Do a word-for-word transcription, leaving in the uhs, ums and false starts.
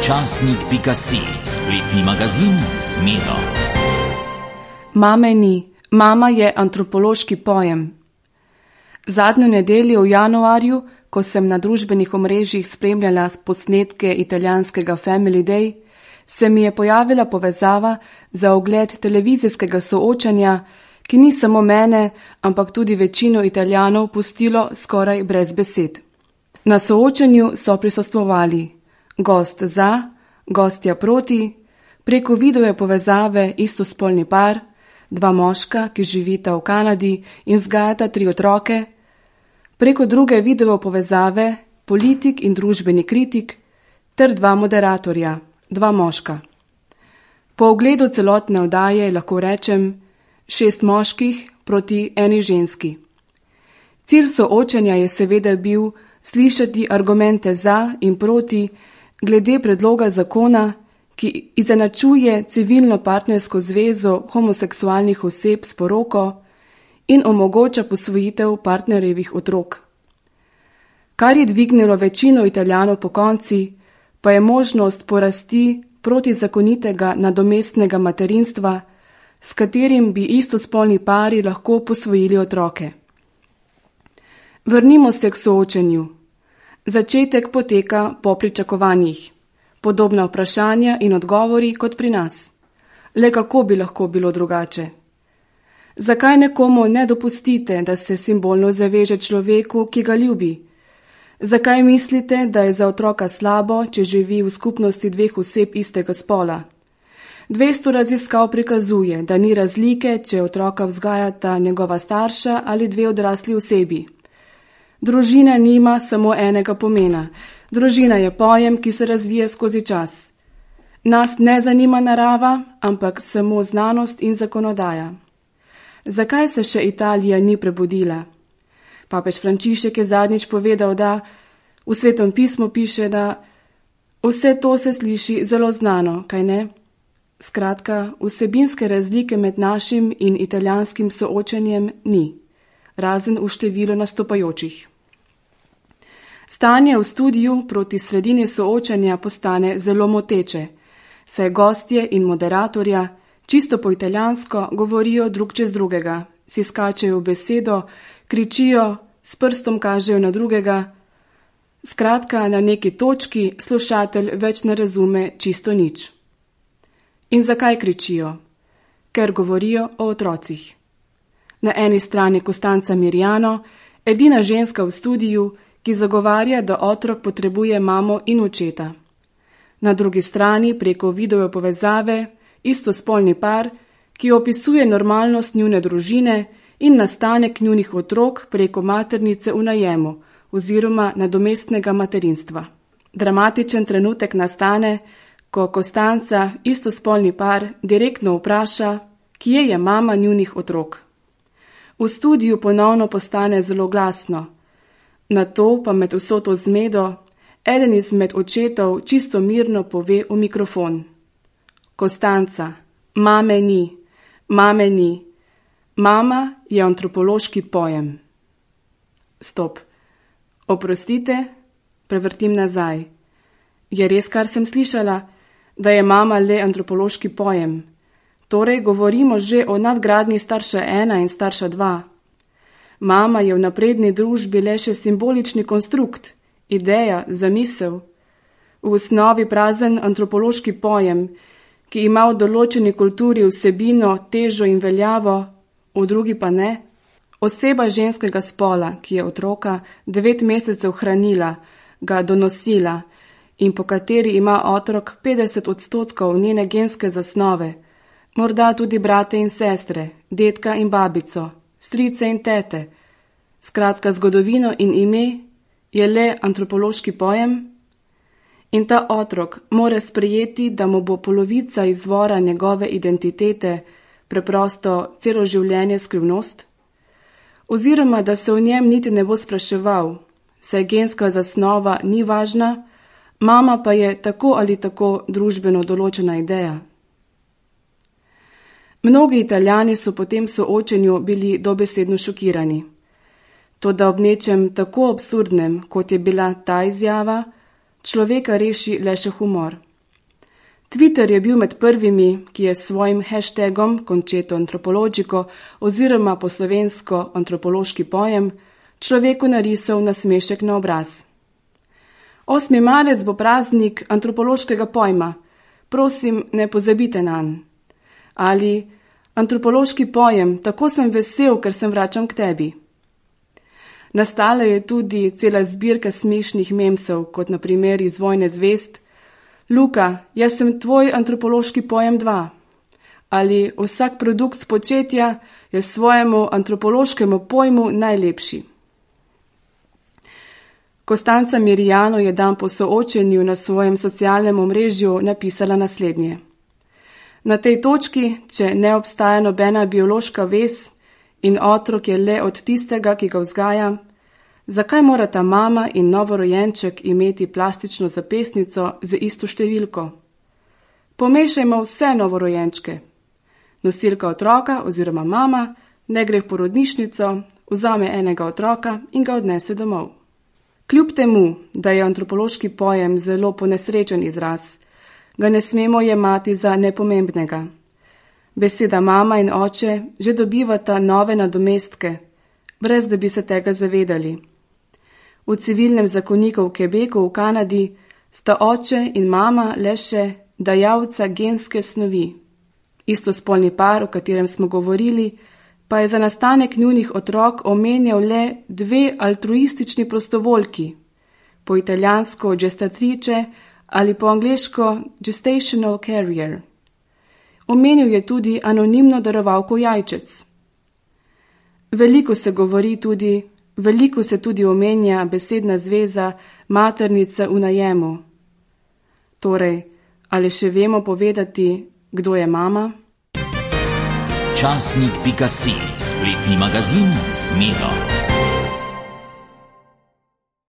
časnik pika si, spletni magazin z Miro. Mame ni, mama je antropološki pojem. Zadnjo nedeljo v januarju, ko sem na družbenih omrežjih spremljala posnetke italijanskega Family Day, se mi je pojavila povezava za ogled televizijskega soočanja, ki ni samo mene, ampak tudi večino Italijanov pustilo skoraj brez besed. Na soočanju so prisostvovali gost za, gostja proti, preko video povezave istospolni par, dva moška, ki živita v Kanadi in vzgajata tri otroke, preko druge video povezave politik in družbeni kritik ter dva moderatorja, dva moška. Po ogledu celotne oddaje lahko rečem šest moških proti eni ženski. Cilj soočenja je seveda bil slišati argumente za in proti glede predloga zakona, ki izenačuje civilno partnersko zvezo homoseksualnih oseb s poroko in omogoča posvojitev partnerjevih otrok. Kar je dvignilo večino Italijanov pokonci, pa je možnost porasti protizakonitega nadomestnega materinstva, s katerim bi istospolni pari lahko posvojili otroke. Vrnimo se k soočenju. Začetek poteka po pričakovanjih. Podobna vprašanja in odgovori kot pri nas. Le kako bi lahko bilo drugače? Zakaj nekomu ne dopustite, da se simbolno zaveže človeku, ki ga ljubi? Zakaj mislite, da je za otroka slabo, če živi v skupnosti dveh oseb istega spola? dvesto raziskav prikazuje, da ni razlike, če otroka vzgajata njegova starša ali dve odrasli osebi. Družina nima samo enega pomena. Družina je pojem, ki se razvija skozi čas. Nas ne zanima narava, ampak samo znanost in zakonodaja. Zakaj se še Italija ni prebudila? Papež Frančišek je zadnjič povedal, da v Svetem pismu piše, da vse to se sliši zelo znano, kaj ne? Skratka, vsebinske razlike med našim in italijanskim soočenjem ni, razen v številu nastopajočih. Stanje v studiu proti sredini soočanja postane zelo moteče, saj gostje in moderatorja čisto po italijansko govorijo drug čez drugega, si skačejo v besedo, kričijo, s prstom kažejo na drugega. Skratka, na neki točki slušatelj več ne razume čisto nič. In zakaj kričijo? Ker govorijo o otrocih. Na eni strani Costanza Miriano, edina ženska v studiu, ki zagovarja, da otrok potrebuje mamo in očeta. Na drugi strani preko video povezave istospolni par, ki opisuje normalnost njune družine in nastanek njunih otrok preko maternice v najemu oziroma nadomestnega materinstva. Dramatičen trenutek nastane, ko Costanza istospolni par direktno vpraša, kje je mama njunih otrok. V studiu ponovno postane zelo glasno. Nato pa med vso to zmedo eden izmed očetov čisto mirno pove v mikrofon. Costanza, mame ni, mame ni. Mama je antropološki pojem. Stop. Oprostite, prevrtim nazaj. Je res, kar sem slišala, da je mama le antropološki pojem? Torej govorimo že o nadgradnji starša ena in starša dva. Mama je v napredni družbi le še simbolični konstrukt, ideja, zamisel. V osnovi prazen antropološki pojem, ki ima v določeni kulturi vsebino, težo in veljavo, v drugi pa ne. Oseba ženskega spola, ki je otroka devet mesecev hranila, ga donosila in po kateri ima otrok petdeset odstotkov njene genske zasnove, morda tudi brate in sestre, dedka in babico, strice in tete, skratka zgodovino in ime, je le antropološki pojem? In ta otrok mora sprejeti, da mu bo polovica izvora njegove identitete preprosto celo življenje skrivnost? Oziroma, da se o njem niti ne bo spraševal, saj genska zasnova ni važna, mama pa je tako ali tako družbeno določena ideja. Mnogi Italijani so po tem soočenju bili dobesedno šokirani. Toda ob nečem tako absurdnem, kot je bila ta izjava, človeka reši le še humor. Twitter je bil med prvimi, ki je s svojim hashtagom Concetto Antropologico oziroma po slovensko antropološki pojem človeku narisal nasmešek na obraz. osmi marec bo praznik antropološkega pojma, prosim, ne pozabite nanj. Ali antropološki pojem, tako sem vesel, ker sem vračam k tebi. Nastala je tudi cela zbirka smešnih memsov, kot na primer iz Vojne zvezd: Luka, jaz sem tvoj antropološki pojem dva. Ali vsak produkt spočetja je svojemu antropološkemu pojmu najlepši. Kostanca Mirijano je dan po soočenju na svojem socialnem omrežju napisala naslednje. Na tej točki, če ne obstaja nobena biološka vez in otrok je le od tistega, ki ga vzgaja, zakaj morata mama in novorojenček imeti plastično zapestnico z isto številko? Pomešajmo vse novorojenčke. Nosilka otroka oziroma mama ne gre v porodnišnico, vzame enega otroka in ga odnese domov. Kljub temu, da je antropološki pojem zelo ponesrečen izraz, ga ne smemo jemati za nepomembnega. Beseda mama in oče že dobivata nove nadomestke, brez da bi se tega zavedali. V civilnem zakoniku v Quebecu v Kanadi sta oče in mama le še dajalca genske snovi. Istospolni par, o katerem smo govorili, pa je za nastanek njunih otrok omenjal le dve altruistični prostovoljki, po italijansko gestatrice ali po angleško gestational carrier. Omenil je tudi anonimno darovalko jajčec. Veliko se govori tudi, veliko se tudi omenja besedna zveza maternica v najemu. Torej, ali še vemo povedati, kdo je mama? Časnik pika si, spletni magazin z Miro.